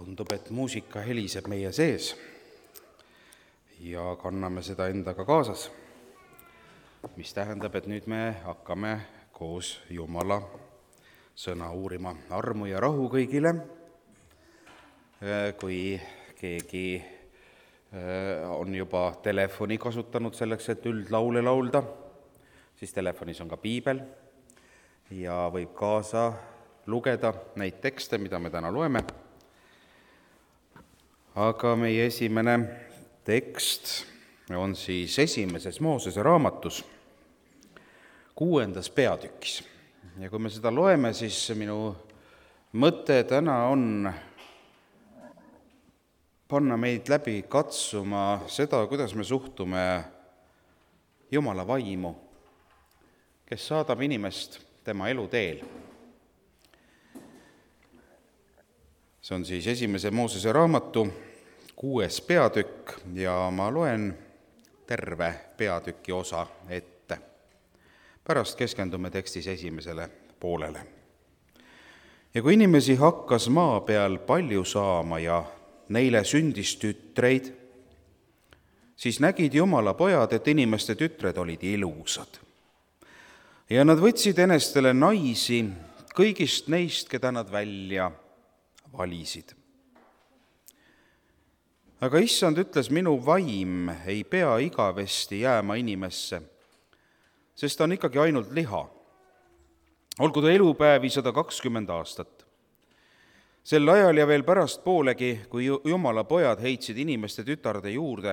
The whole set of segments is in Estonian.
Tundub, et muusika heliseb meie sees ja kanname seda endaga kaasas, mis tähendab, et nüüd me hakkame koos Jumala sõna uurima. Armu ja rahu kõigile. Kui keegi on juba telefoni kasutanud selleks, et üldlaule laulda, siis telefonis on ka piibel ja võib kaasa lugeda neid tekste, mida me täna loeme. Aga meie esimene tekst on siis esimeses Moosese raamatus 6. peatükis. Ja kui me seda loeme, siis minu mõte täna on panna meid läbi katsuma seda, kuidas me suhtume Jumala vaimu, kes saadab inimest tema eluteel. See on siis esimese Moosese raamatu 6. peatükk ja ma loen terve peatüki osa ette. Pärast keskendume tekstis esimesele poolele. Ja kui inimesi hakkas maa peal palju saama ja neile sündis tütreid, siis nägid Jumala pojad, et inimeste tütred olid ilusad. Ja nad võtsid enestele naisi kõigist neist, keda nad välja valisid. Aga issand ütles, minu vaim ei pea igavesti jääma inimesse, sest ta on ikkagi ainult liha. Olgu ta elupäevi 120 aastat. Sel ajal ja veel pärast poolegi, kui Jumala pojad heitsid inimeste tütarde juurde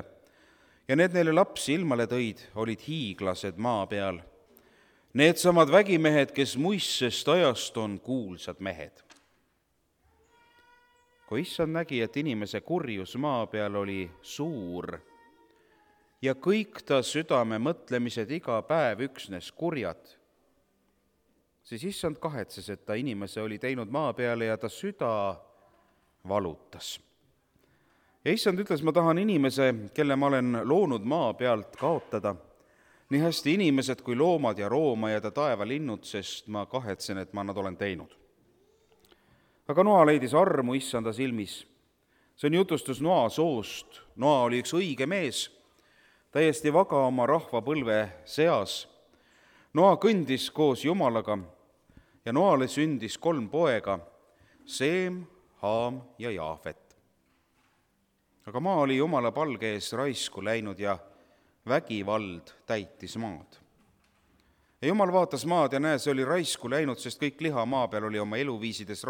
ja need neile lapsi ilmale tõid, olid hiiglased maa peal. Need samad vägimehed, kes muistsest ajast on kuulsad mehed. Kui issand nägi, et inimese kurjus maa peal oli suur ja kõik ta südame mõtlemised iga päev üksnes kurjad, siis issand kahetses, et ta inimese oli teinud maa peale ja ta süda valutas. Ja issand ütles, ma tahan inimese, kelle ma olen loonud maa pealt, kaotada, nii hästi inimesed kui loomad ja roomajad ja taevalinnud, sest ma kahetsen, et ma nad olen teinud. Aga Noa leidis armu issanda silmis. See on jutustus Noa soost. Noa oli üks õige mees, täiesti vaga oma rahva põlve seas. Noa kõndis koos Jumalaga ja Noale sündis 3 poega, Seem, Haam ja Jaafet. Aga maa oli Jumala palge ees raisku läinud ja vägivald täitis maad. Ja Jumal vaatas maad ja näe, see oli raisku läinud, sest kõik liha maa peal oli oma eluviisides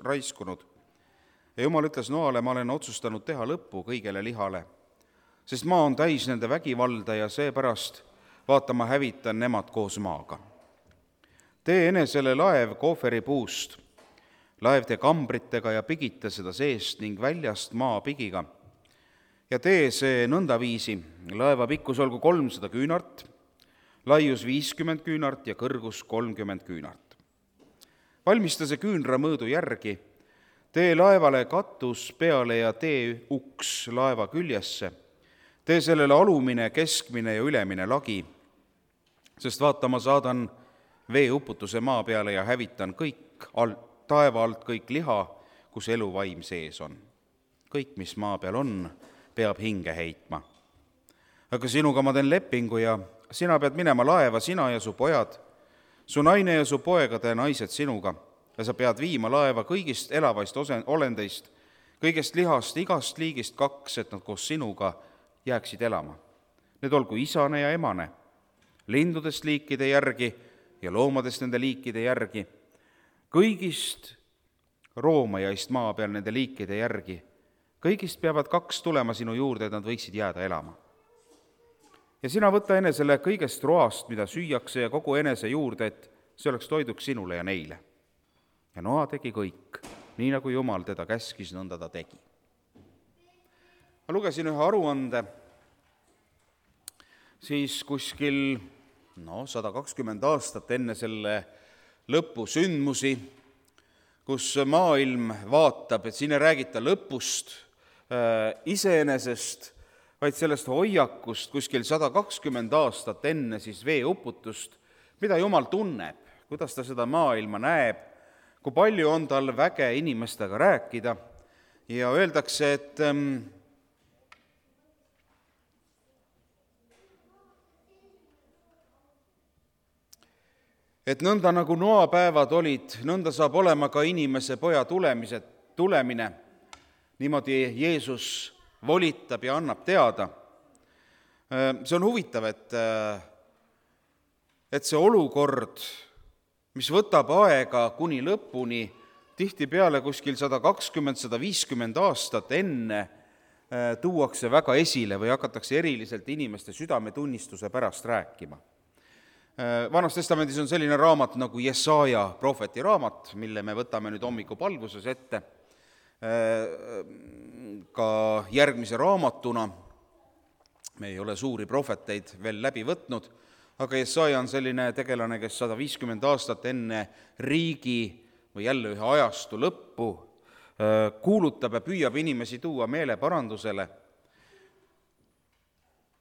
raiskunud. Ja Jumal ütles Noale, ma olen otsustanud teha lõppu kõigele lihale, sest maa on täis nende vägivalda ja seepärast vaata, ma hävitan nemad koos maaga. Tee enesele laev kooferi puust, laev tee kambritega ja pigita seda seest ning väljast maa pigiga. Ja tee see nõndaviisi, laeva pikkus olgu 300 küünart, laius 50 küünart ja kõrgus 30 küünart. Valmista see küünra mõõdu järgi, tee laevale katus peale ja tee uks laeva küljesse, tee sellele alumine, keskmine ja ülemine lagi, sest vaata, ma saadan veeuputuse maa peale ja hävitan kõik taeva alt kõik liha, kus eluvaim sees on. Kõik, mis maa peal on, peab hinge heitma. Aga sinuga ma teen lepingu ja sina pead minema laeva, sina ja su pojad, su naine ja su poegade naised sinuga, ja sa pead viima laeva kõigist elavaist olendeist, kõigest lihast, igast liigist 2, et nad koos sinuga jääksid elama. Need olgu isane ja emane, lindudest liikide järgi ja loomadest nende liikide järgi, kõigist roomajaist maa peal nende liikide järgi, kõigist peavad 2 tulema sinu juurde, et nad võiksid jääda elama. Ja sina võta enesele kõigest roast, mida süüakse, ja kogu enese juurde, et see oleks toiduks sinule ja neile. Ja Noa tegi kõik, nii nagu Jumal teda käskis, nõnda ta tegi. Ma lugesin ühe aruande, siis kuskil 120 aastat enne selle lõpusündmusi, kus maailm vaatab, et siin ei räägita lõpust iseenesest, vaid sellest hoiakust kuskil 120 aastat enne siis veeuputust, mida Jumal tunneb, kuidas ta seda maailma näeb, kui palju on tal väge inimestega rääkida ja öeldakse, et nõnda nagu noapäevad olid, nõnda saab olema ka inimese poja tulemine. Niimoodi Jeesus volitab ja annab teada. See on huvitav, et see olukord, mis võtab aega kuni lõpuni, tihtipeale kuskil 120–150 aastat enne tuuakse väga esile või hakatakse eriliselt inimeste südametunnistuse pärast rääkima. Vanas Testamendis on selline raamat nagu Jesaja prohveti raamat, mille me võtame nüüd hommikupalvuses ette ka järgmise raamatuna. Me ei ole suuri prohveteid veel läbi võtnud, aga Jesaja on selline tegelane, kes 150 aastat enne riigi või jälle ühe ajastu lõppu kuulutab ja püüab inimesi tuua meeleparandusele.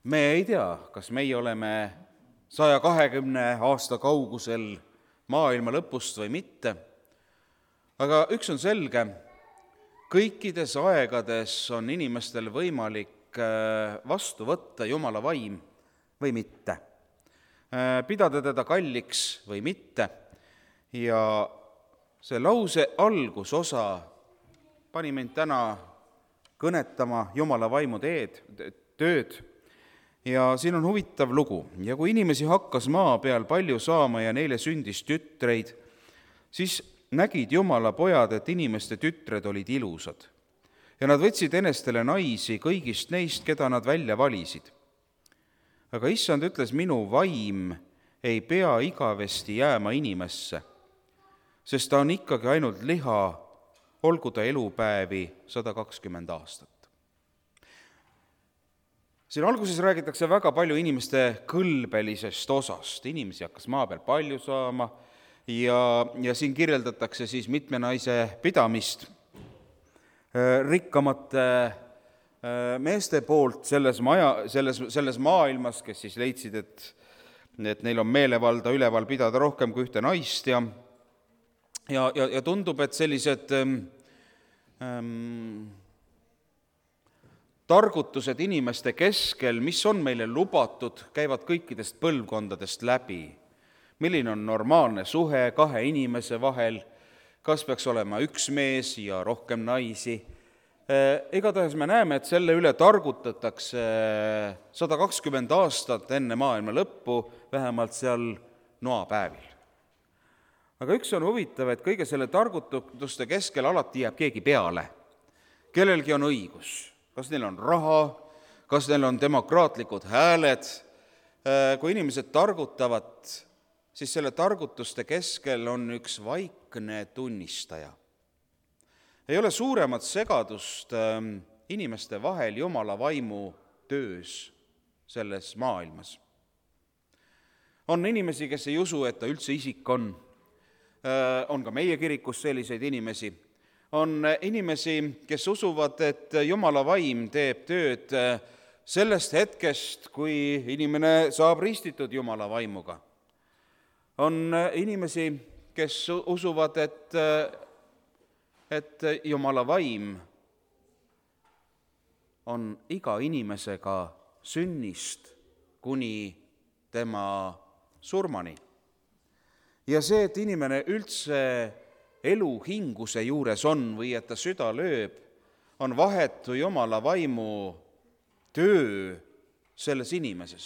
Me ei tea, kas meie oleme 120 aasta kaugusel maailma lõpust või mitte, aga üks on selge, kõikides aegades on inimestel võimalik vastu võtta Jumala vaim või mitte, pidada teda kalliks või mitte. Ja see lause algusosa pani mind täna kõnetama Jumala vaimu tööd. Ja siin on huvitav lugu. Ja kui inimesi hakkas maa peal palju saama ja neile sündis tütreid, siis nägid Jumala pojad, et inimeste tütred olid ilusad. Ja nad võtsid enestele naisi kõigist neist, keda nad välja valisid. Aga issand ütles, minu vaim ei pea igavesti jääma inimesse, sest ta on ikkagi ainult liha, olgu ta elupäevi 120 aastat. Siin alguses räägitakse väga palju inimeste kõlbelisest osast. Inimesi hakkas maa peal palju saama ja siin kirjeldatakse siis mitme naise pidamist rikkamate meeste poolt selles maailmas, kes siis leidsid, et neil on meelevalda üleval pidada rohkem kui ühte naist ja tundub, et sellised targutused inimeste keskel, mis on meile lubatud, käivad kõikidest põlvkondadest läbi. Milline on normaalne suhe kahe inimese vahel, kas peaks olema üks mees ja rohkem naisi. Igatahes me näeme, et selle üle targutatakse 120 aastat enne maailma lõppu, vähemalt seal noapäevil. Aga üks on huvitav, et kõige selle targutuste keskel alati jääb keegi peale. Kellelgi on õigus. Kas neil on raha, kas neil on demokraatlikud hääled. Kui inimesed targutavad, siis selle targutuste keskel on üks vaikne tunnistaja. Ei ole suuremat segadust inimeste vahel Jumala vaimu töös selles maailmas. On inimesi, kes ei usu, et ta üldse isik on. On ka meie kirikus selliseid inimesi. On inimesi, kes usuvad, et Jumala vaim teeb tööd sellest hetkest, kui inimene saab ristitud Jumala vaimuga. On inimesi, kes usuvad, et Jumala vaim on iga inimesega sünnist kuni tema surmani. Ja see, et inimene üldse elu hinguse juures on või et ta süda lööb, on vahetu Jumala vaimu töö selles inimeses.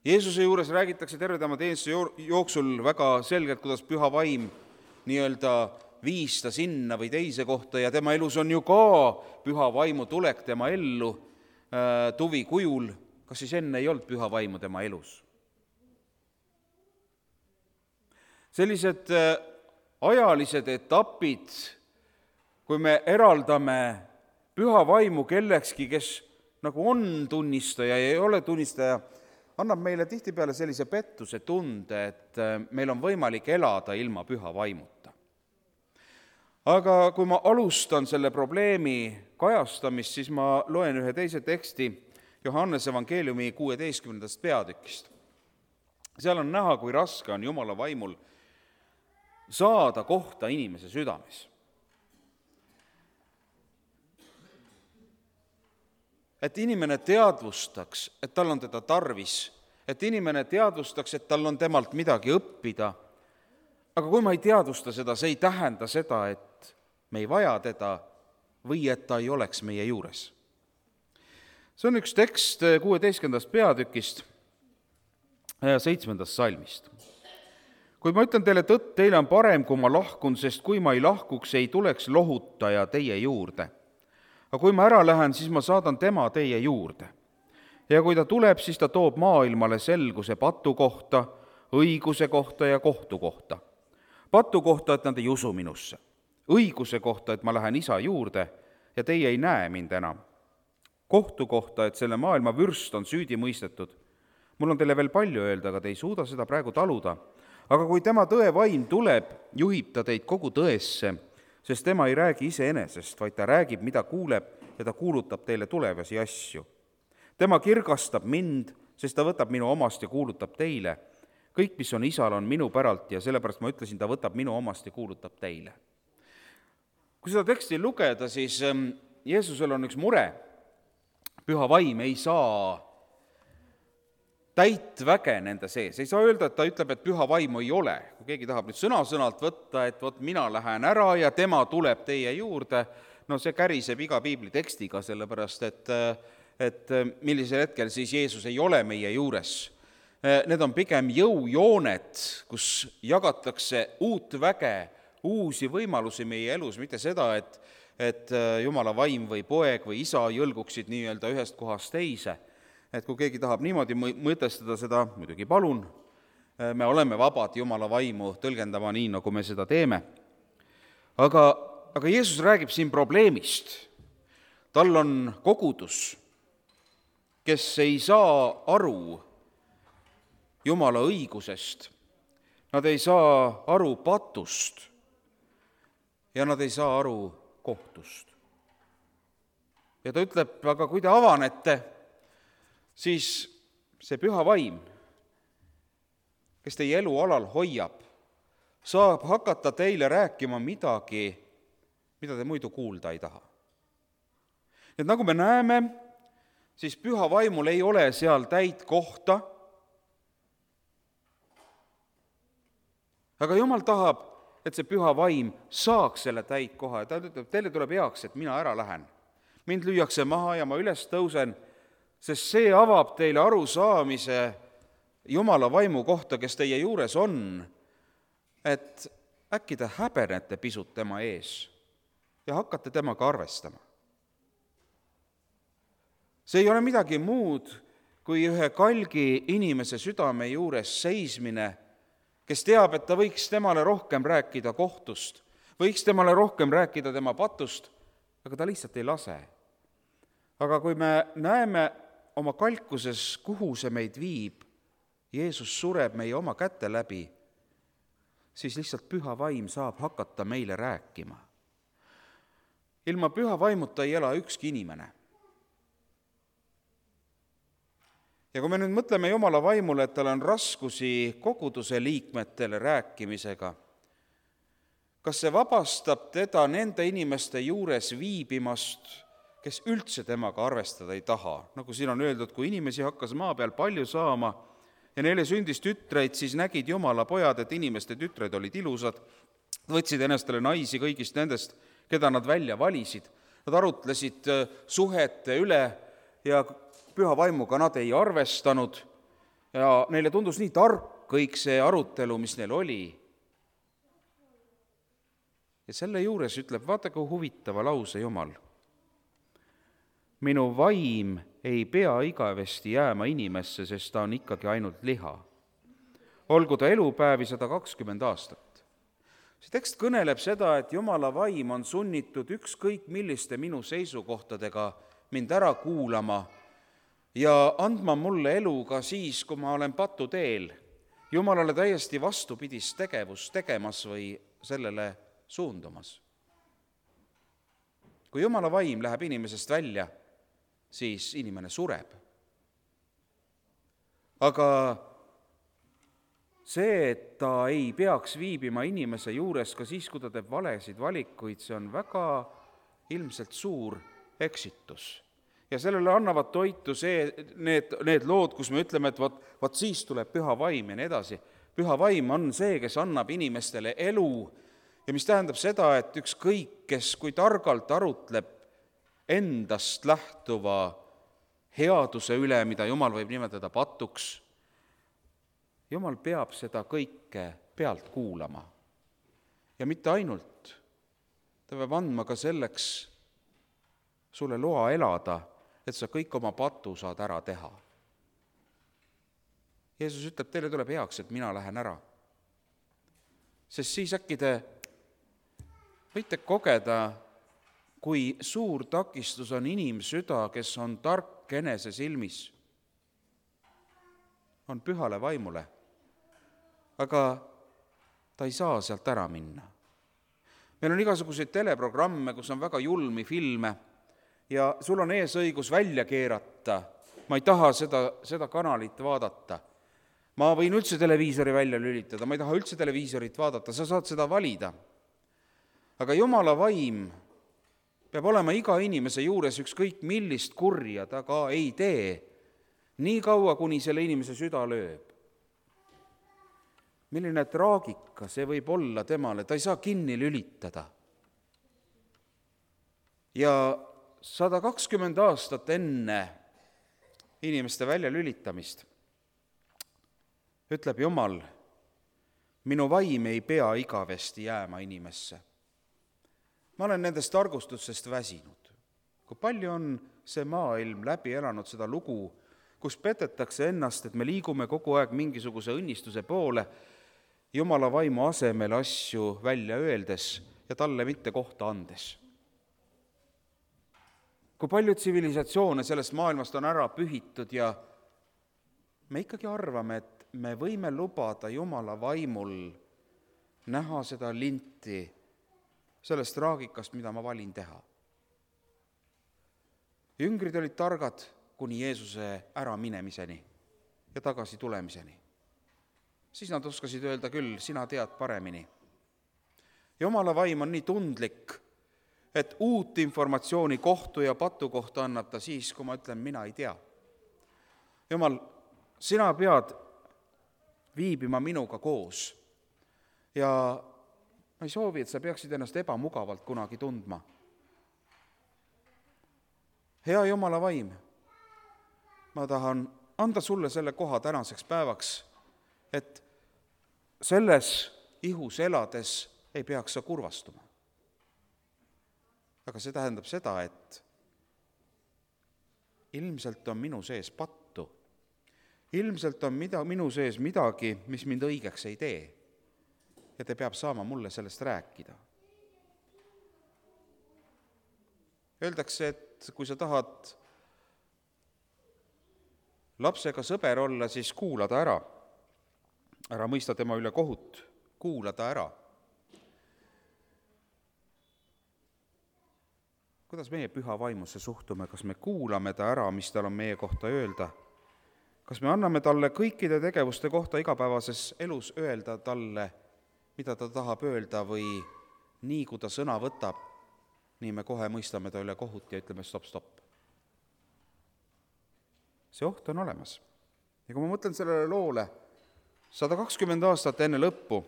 Jeesuse juures räägitakse terve tema teenistuse jooksul väga selgelt, kuidas püha vaim nii-öelda viis ta sinna või teise kohta ja tema elus on ju ka püha vaimu tulek tema ellu tuvi kujul. Kas siis enne ei olnud püha vaimu tema elus? Sellised ajalised etapid, kui me eraldame püha vaimu kellekski, kes nagu on tunnistaja ja ei ole tunnistaja, annab meile tihtipeale sellise pettuse tunde, et meil on võimalik elada ilma püha vaimuta. Aga kui ma alustan selle probleemi kajastamist, siis ma loen ühe teise teksti Johannese evangeeliumi 16. peatükist. Seal on näha, kui raske on Jumala vaimul saada kohta inimese südames. et inimene teadvustaks, et tal on teda tarvis, et inimene teadvustaks, et tal on temalt midagi õppida. Aga kui ma ei teadvusta seda, see ei tähenda seda, et me ei vaja teda või et ta ei oleks meie juures. See on üks tekst 16. peatükist 7. salmist. Kuid ma ütlen teile tõtt, teile on parem, kui ma lahkun, sest kui ma ei lahkuks, ei tuleks lohutaja teie juurde. Aga kui ma ära lähen, siis ma saadan tema teie juurde. Ja kui ta tuleb, siis ta toob maailmale selguse patu kohta, õiguse kohta ja kohtu kohta. Patu kohta, et nad ei usu minusse. Õiguse kohta, et ma lähen isa juurde ja teie ei näe mind enam. Kohtu kohta, et selle maailma vürst on süüdi mõistetud. Mul on teile veel palju öelda, aga te ei suuda seda praegu taluda. Aga kui tema tõevaim tuleb, juhib ta teid kogu tõesse, sest tema ei räägi iseenesest, vaid ta räägib, mida kuuleb, ja ta kuulutab teile tulevasi asju. Tema kirgastab mind, sest ta võtab minu omast ja kuulutab teile. Kõik, mis on isal, on minu päralt ja sellepärast ma ütlesin, ta võtab minu omast ja kuulutab teile. Kui seda teksti lugeda, siis Jeesusel on üks mure. Püha vaim ei saa täit väge nende sees. Ei saa öelda, et ta ütleb, et püha vaimu ei ole. Kui keegi tahab nüüd sõna-sõnalt võtta, et vot mina lähen ära ja tema tuleb teie juurde, no see käriseb iga piibli tekstiga, sellepärast et millisel hetkel siis Jeesus ei ole meie juures. Need on pigem jõujooned, kus jagatakse uut väge, uusi võimalusi meie elus, mitte seda, et Jumala vaim või poeg või isa jõlguksid nii-öelda ühest kohast teise. Et kui keegi tahab niimoodi mõtestada seda, muidugi palun, me oleme vabad Jumala vaimu tõlgendama nii, nagu me seda teeme. Aga Jeesus räägib siin probleemist. Tal on kogudus, kes ei saa aru Jumala õigusest, nad ei saa aru patust ja nad ei saa aru kohtust. Ja ta ütleb, aga kui te avanete, siis see püha vaim, kes teie elualal hoiab, saab hakata teile rääkima midagi, mida te muidu kuulda ei taha. Et nagu me näeme, siis püha vaimul ei ole seal täit kohta, aga Jumal tahab, et see püha vaim saaks selle täit koha ja ta ütleb, teile tuleb heaks, et mina ära lähen. Mind lüüakse maha ja ma üles tõusen, sest see avab teile arusaamise Jumala vaimu kohta, kes teie juures on, et äkki te häbenete pisut tema ees ja hakkate temaga arvestama. See ei ole midagi muud kui ühe kalgi inimese südame juures seismine, kes teab, et ta võiks temale rohkem rääkida kohtust, võiks temale rohkem rääkida tema patust, aga ta lihtsalt ei lase. Aga kui me näeme oma kalkuses, kuhu see meid viib, Jeesus sureb meie oma käte läbi, siis lihtsalt püha vaim saab hakata meile rääkima. Ilma püha vaimuta ei ela ükski inimene. Ja kui me nüüd mõtleme Jumala vaimule, et tal on raskusi koguduse liikmetele rääkimisega, kas see vabastab teda nende inimeste juures viibimast, kes üldse temaga arvestada ei taha? Nagu siin on öeldud, kui inimesi hakkas maa peal palju saama ja neile sündis tütreid, siis nägid Jumala pojad, et inimeste tütred olid ilusad, võtsid ennastele naisi kõigist nendest, keda nad välja valisid. Nad arutlesid suhete üle ja püha vaimuga nad ei arvestanud ja neile tundus nii tark kõik see arutelu, mis neil oli. Ja selle juures ütleb, vaata kui huvitava lause Jumal. Minu vaim ei pea igavesti jääma inimesse, sest ta on ikkagi ainult liha. Olgu ta elupäevi 120 aastat. See tekst kõneleb seda, et Jumala vaim on sunnitud ükskõik milliste minu seisukohtadega mind ära kuulama ja andma mulle elu ka siis, kui ma olen patuteel, Jumalale täiesti vastupidist tegevust tegemas või sellele suundumas. Kui Jumala vaim läheb inimesest välja, siis inimene sureb. Aga see, et ta ei peaks viibima inimese juures ka siis, kui ta teeb valesid valikuid, see on väga ilmselt suur eksitus. Ja sellele annavad toitu need lood, kus me ütleme, et vot siis tuleb püha vaim ja nii edasi. Püha vaim on see, kes annab inimestele elu ja mis tähendab seda, et ükskõik, kes kui targalt arutleb endast lähtuva headuse üle, mida Jumal võib nimetada patuks, Jumal peab seda kõike pealt kuulama. Ja mitte ainult, ta peab andma ka selleks sulle loa elada, et sa kõik oma patu saad ära teha. Jeesus ütleb, teile tuleb heaks, et mina lähen ära. Sest siis äkki te võite kogeda, kui suur takistus on inimsüda, kes on tark enese silmis, on pühale vaimule, aga ta ei saa sealt ära minna. Meil on igasuguseid teleprogramme, kus on väga julmi filme ja sul on eesõigus välja keerata. Ma ei taha seda kanalit vaadata. Ma võin üldse televiisori välja lülitada, ma ei taha üldse televiisorit vaadata, sa saad seda valida. Aga Jumala vaim peab olema iga inimese juures ükskõik millist kurja ta ka ei tee, nii kaua, kuni selle inimese süda lööb. Milline traagika see võib olla temale, ta ei saa kinni lülitada. Ja 120 aastat enne inimeste välja lülitamist ütleb Jumal, minu vaim ei pea igavesti jääma inimesse. Ma olen nendest targustustest väsinud. Kui palju on see maailm läbi elanud seda lugu, kus petetakse ennast, et me liigume kogu aeg mingisuguse õnnistuse poole, Jumala vaimu asemel asju välja öeldes ja talle mitte kohta andes. Kui palju tsivilisatsioone sellest maailmast on ära pühitud ja me ikkagi arvame, et me võime lubada Jumala vaimul näha seda linti sellest traagikast, mida ma valin teha. Jüngrid olid targad kuni Jeesuse äraminemiseni ja tagasi tulemiseni. Siis nad oskasid öelda küll, sina tead paremini. Jumala vaim on nii tundlik, et uut informatsiooni kohtu ja patu kohta annab ta siis, kui ma ütlen, mina ei tea. Jumal, sina pead viibima minuga koos ja ma ei soovi, et sa peaksid ennast ebamugavalt kunagi tundma. Hea Jumala vaim, ma tahan anda sulle selle koha tänaseks päevaks, et selles ihus elades ei peaks sa kurvastuma. Aga see tähendab seda, et ilmselt on minu sees pattu. Ilmselt on minu sees midagi, mis mind õigeks ei tee. Ja te peab saama mulle sellest rääkida. Öeldakse, et kui sa tahad lapsega sõber olla, siis kuula ta ära. Ära mõista tema üle kohut, kuula ta ära. Kuidas meie püha vaimusse suhtume? Kas me kuulame ta ära, mis tal on meie kohta öelda? Kas me anname talle kõikide tegevuste kohta igapäevases elus öelda talle, mida ta tahab öelda või nii, kui ta sõna võtab, nii me kohe mõistame ta üle kohut ja ütleme stop. See oht on olemas. Ja kui ma mõtlen sellele loole, 120 aastat enne lõppu,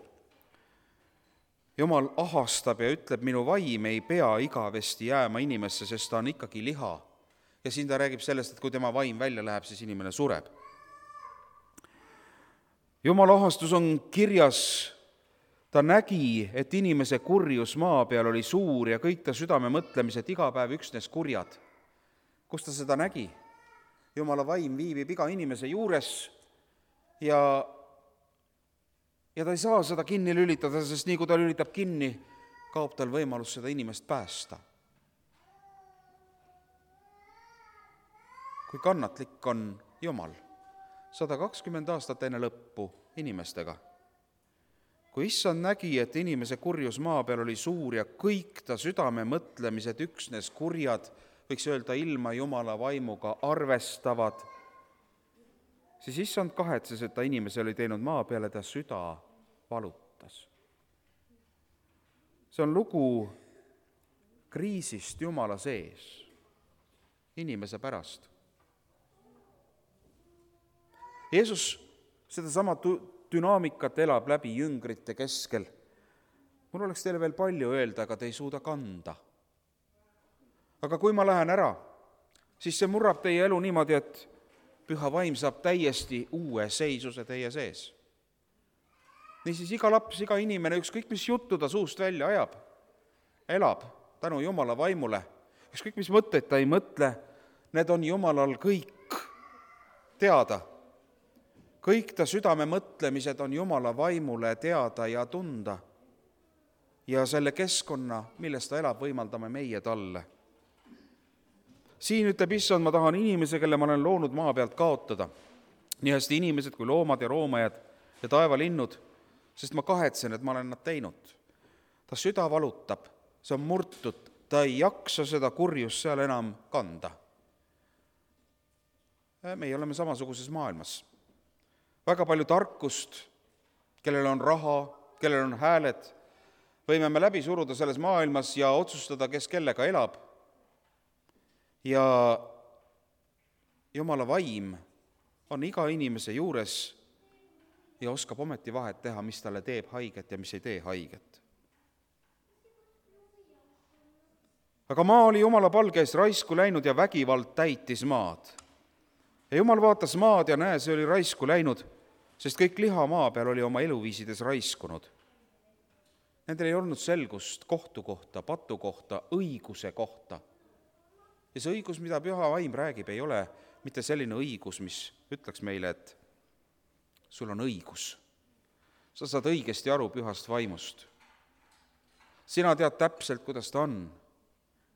Jumal ahastab ja ütleb, minu vaim ei pea igavesti jääma inimesse, sest ta on ikkagi liha. Ja siin ta räägib sellest, et kui tema vaim välja läheb, siis inimene sureb. Jumala ahastus on kirjas, ta nägi, et inimese kurjus maa peal oli suur ja kõik ta südame mõtlemised iga päev üksnes kurjad. Kus ta seda nägi? Jumala vaim viibib iga inimese juures ja ta ei saa seda kinni lülitada, sest nii kui ta lülitab kinni, kaob tal võimalus seda inimest päästa. Kui kannatlik on Jumal 120 aastat enne lõppu inimestega. Kui issand nägi, et inimese kurjus maa peal oli suur ja kõik ta südame mõtlemised üksnes kurjad, võiks öelda ilma Jumala vaimuga arvestavad, siis issand kahetses, et ta inimese oli teinud maa peale, ta süda valutas. See on lugu kriisist Jumala sees. inimese pärast. Jeesus sedasama dünaamikat elab läbi jüngrite keskel. Mul oleks teile veel palju öelda, aga te ei suuda kanda. Aga kui ma lähen ära, siis see murrab teie elu niimoodi, et Püha Vaim saab täiesti uue seisuse teie sees. Niisiis iga laps, iga inimene, ükskõik mis juttu ta suust välja ajab, elab tänu Jumala vaimule. Ükskõik mis mõtteid ta ei mõtle, need on Jumalal kõik teada. Kõik ta südame mõtlemised on Jumala vaimule teada ja tunda. Ja selle keskkonna, milles ta elab, võimaldame meie talle. Siin ütleb Issand, ma tahan inimese, kelle ma olen loonud maa pealt kaotada. Nii hästi inimesed kui loomad ja roomajad ja taevalinnud, sest ma kahetsen, et ma olen nad teinud. Ta süda valutab, see on murtud, ta ei jaksa seda kurjust seal enam kanda. Meie oleme samasuguses maailmas. Väga palju tarkust, kellel on raha, kellel on hääled, võime me läbi suruda selles maailmas ja otsustada, kes kellega elab. Ja Jumala vaim on iga inimese juures ja oskab ometi vahet teha, mis talle teeb haiget ja mis ei tee haiget. Aga maa oli Jumala palge eest raisku läinud ja vägivald täitis maad. Ja Jumal vaatas maad ja näe, see oli raisku läinud, sest kõik liha maa peal oli oma eluviisides raiskunud. Nendel ei olnud selgust kohtu kohta, patu kohta, õiguse kohta. Ja see õigus, mida Püha Vaim räägib, ei ole mitte selline õigus, mis ütleks meile, et sul on õigus. Sa saad õigesti aru Pühast Vaimust. Sina tead täpselt, kuidas ta on.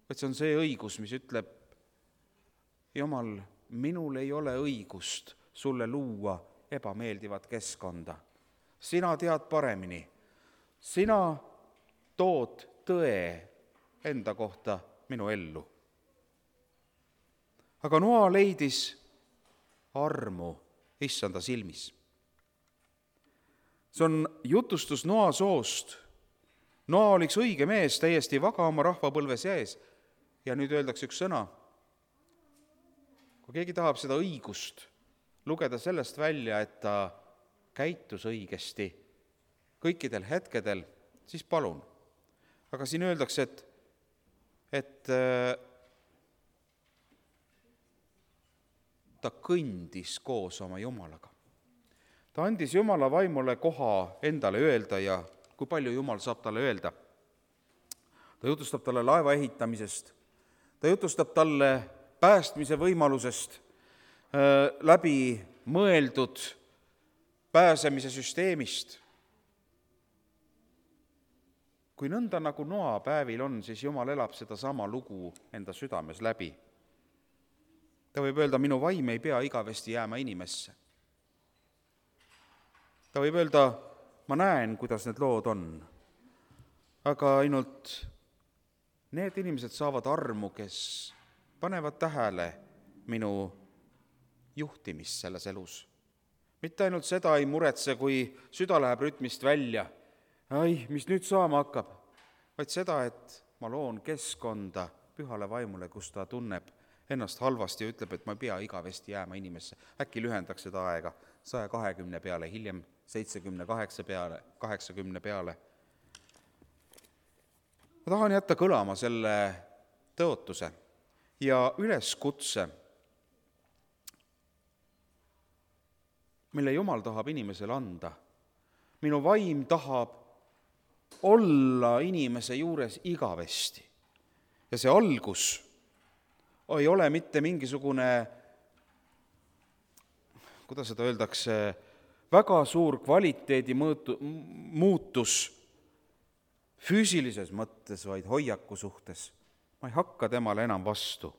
Et see on see õigus, mis ütleb, Jumal, minul ei ole õigust sulle luua ebameeldivat keskkonda. Sina tead paremini. Sina tood tõe enda kohta minu ellu. Aga Noa leidis armu Issanda silmis. See on jutustus Noa soost. Noa oliks õige mees, täiesti vaga oma rahvapõlves jäes. Ja nüüd öeldakse üks sõna. Kui keegi tahab seda õigust lugeda sellest välja, et ta käitus õigesti kõikidel hetkedel, siis palun. Aga siin öeldakse, et ta kõndis koos oma Jumalaga. Ta andis Jumala vaimule koha endale öelda ja kui palju Jumal saab talle öelda. Ta jutustab talle laeva ehitamisest, ta jutustab talle päästmise võimalusest läbi mõeldud pääsemise süsteemist. Kui nõnda nagu Noa päevil on, siis Jumal elab seda sama lugu enda südames läbi. Ta võib öelda, minu vaim ei pea igavesti jääma inimesse. Ta võib öelda, ma näen, kuidas need lood on, aga ainult need inimesed saavad armu, kes panevad tähele minu juhtimist selles elus. Mitte ainult seda ei muretse, kui süda läheb rütmist välja, mis nüüd saama hakkab, vaid seda, et ma loon keskkonda Pühale vaimule, kus ta tunneb ennast halvasti ja ütleb, et ma ei pea igavesti jääma inimesse. Äkki lühendaks seda aega 120 peale, hiljem 78 peale, 80 peale. Ma tahan jätta kõlama selle tõotuse ja üleskutse, mille Jumal tahab inimesele anda. Minu vaim tahab olla inimese juures igavesti. Ja see algus ei ole mitte mingisugune, kuidas seda öeldakse, väga suur kvaliteedi muutus füüsilises mõttes, vaid hoiaku suhtes. Ma ei hakka temale enam vastu.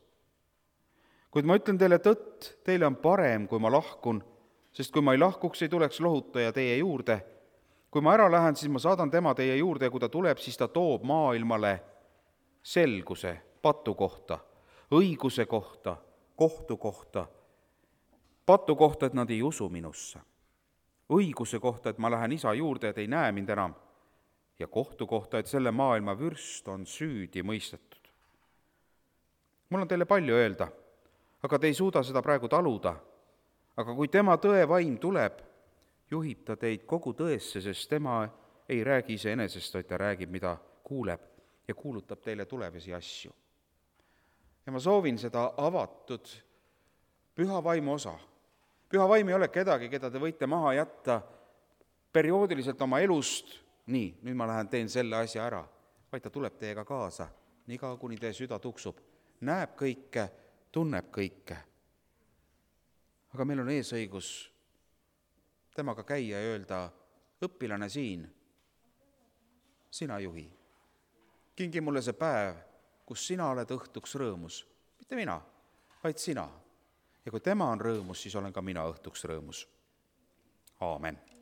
Kuid ma ütlen teile tõtt, teile on parem, kui ma lahkun, sest kui ma ei lahkuks, ei tuleks lohutaja teie juurde. Kui ma ära lähen, siis ma saadan tema teie juurde ja kui ta tuleb, siis ta toob maailmale selguse patu kohta, õiguse kohta, kohtu kohta, patu kohta, et nad ei usu minusse, õiguse kohta, et ma lähen isa juurde, et ei näe mind enam, ja kohtu kohta, et selle maailma vürst on süüdi mõistetud. Mul on teile palju öelda, aga te ei suuda seda praegu taluda. Aga kui tema tõevaim tuleb, juhib ta teid kogu tõesse, sest tema ei räägi iseenesest, vaid ta räägib, mida kuuleb ja kuulutab teile tulevasi asju. Ja ma soovin seda avatud püha vaimu osa. Püha vaim ei ole kedagi, keda te võite maha jätta perioodiliselt oma elust, nii, nüüd ma lähen teen selle asja ära, vaid ta tuleb teiega kaasa, niikaua kuni teie süda tuksub, näeb kõike, tunneb kõike. Aga meil on eesõigus temaga käia ja öelda, õpilane siin, sina juhi. Kingi mulle see päev, kus sina oled õhtuks rõõmus. Mitte mina, vaid sina. Ja kui tema on rõõmus, siis olen ka mina õhtuks rõõmus. Aamen.